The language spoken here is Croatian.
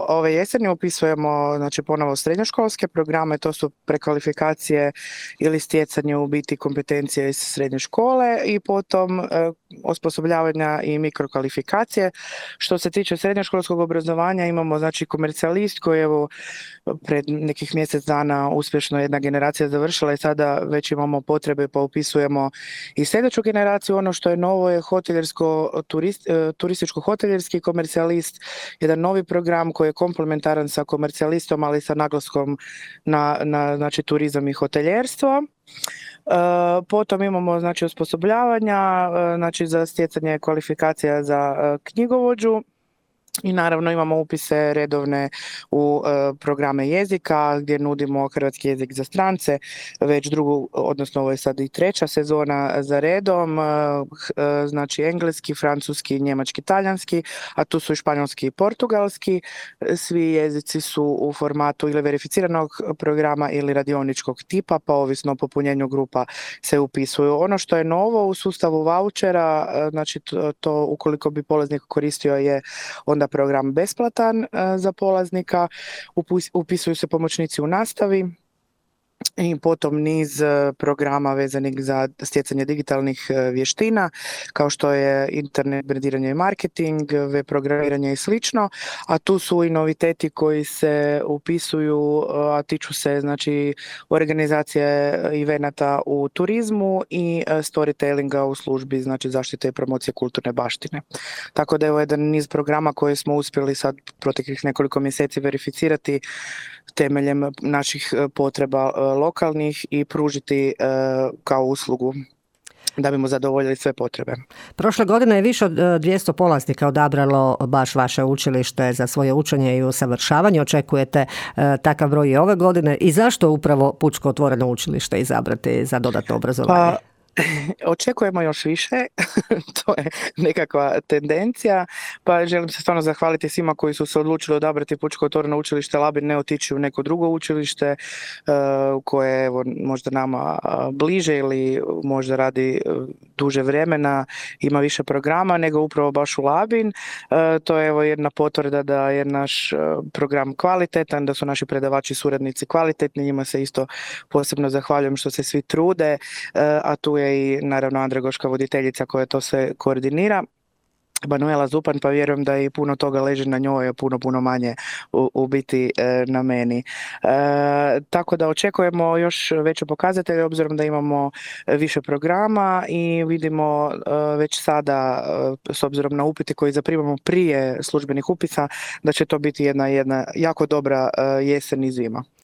ove jeseni upisujemo znači ponovo srednjoškolske programe, to su prekvalifikacije ili stjecanje u biti kompetencije iz srednje škole i potom osposobljavanja i mikrokvalifikacije. Što se tiče srednjoškolskog obrazovanja imamo znači komercijalist koji evo pred nekih mjesec dana uspješno jedna generacija završila i sada već imamo potrebe pa upisujemo i sljedeću generaciju. Ono što je novo je turističko-hoteljerski komercijalist, jedan novi program koji je komplementaran sa komercijalistom, ali sa naglaskom na znači, turizam i hoteljerstvo. Potom imamo znači, osposobljavanja znači, za stjecanje kvalifikacija za knjigovođu. I naravno imamo upise redovne u programe jezika gdje nudimo hrvatski jezik za strance, već drugu, odnosno ovo je sad i treća sezona za redom, znači engleski, francuski, njemački, talijanski, a tu su i španjolski i portugalski. Svi jezici su u formatu ili verificiranog programa ili radioničkog tipa, pa ovisno o popunjenju grupa se upisuju. Ono što je novo u sustavu vaučera, znači to ukoliko bi polaznik koristio je onda program besplatan za polaznika, upisuju se pomoćnici u nastavi i potom niz programa vezanih za stjecanje digitalnih vještina, kao što je internet, brendiranje i marketing, web programiranje i slično, a tu su i noviteti koji se upisuju, a tiču se znači organizacije evenata u turizmu i storytellinga u službi znači zaštite i promocije kulturne baštine. Tako da je ovo jedan niz programa koje smo uspjeli sad proteklih nekoliko mjeseci verificirati temeljem naših potreba lokalnih i pružiti kao uslugu da bimo zadovoljili sve potrebe. Prošle godine je više od 200 polaznika odabralo baš vaše učilište za svoje učenje i usavršavanje. Očekujete takav broj i ove godine i zašto upravo Pučko otvoreno učilište izabrati za dodatno obrazovanje? Očekujemo još više, to je nekakva tendencija, pa želim se stvarno zahvaliti svima koji su se odlučili odabrati Pučko otvoreno učilište Labin, ne otići u neko drugo učilište koje je evo, možda nama bliže ili možda radi duže vremena, ima više programa, nego upravo baš u Labin. To je evo jedna potvrda da je naš program kvalitetan, da su naši predavači i suradnici kvalitetni, njima se isto posebno zahvaljujem što se svi trude, a tu je i naravno Andragoška voditeljica koja to sve koordinira, Manuela Zupan, pa vjerujem da i puno toga leži na njoj, a puno manje u biti na meni. Tako da očekujemo još veće pokazatelje obzirom da imamo više programa i vidimo već sada s obzirom na upite koji zaprimamo prije službenih upisa da će to biti jedna jako dobra jesen i zima.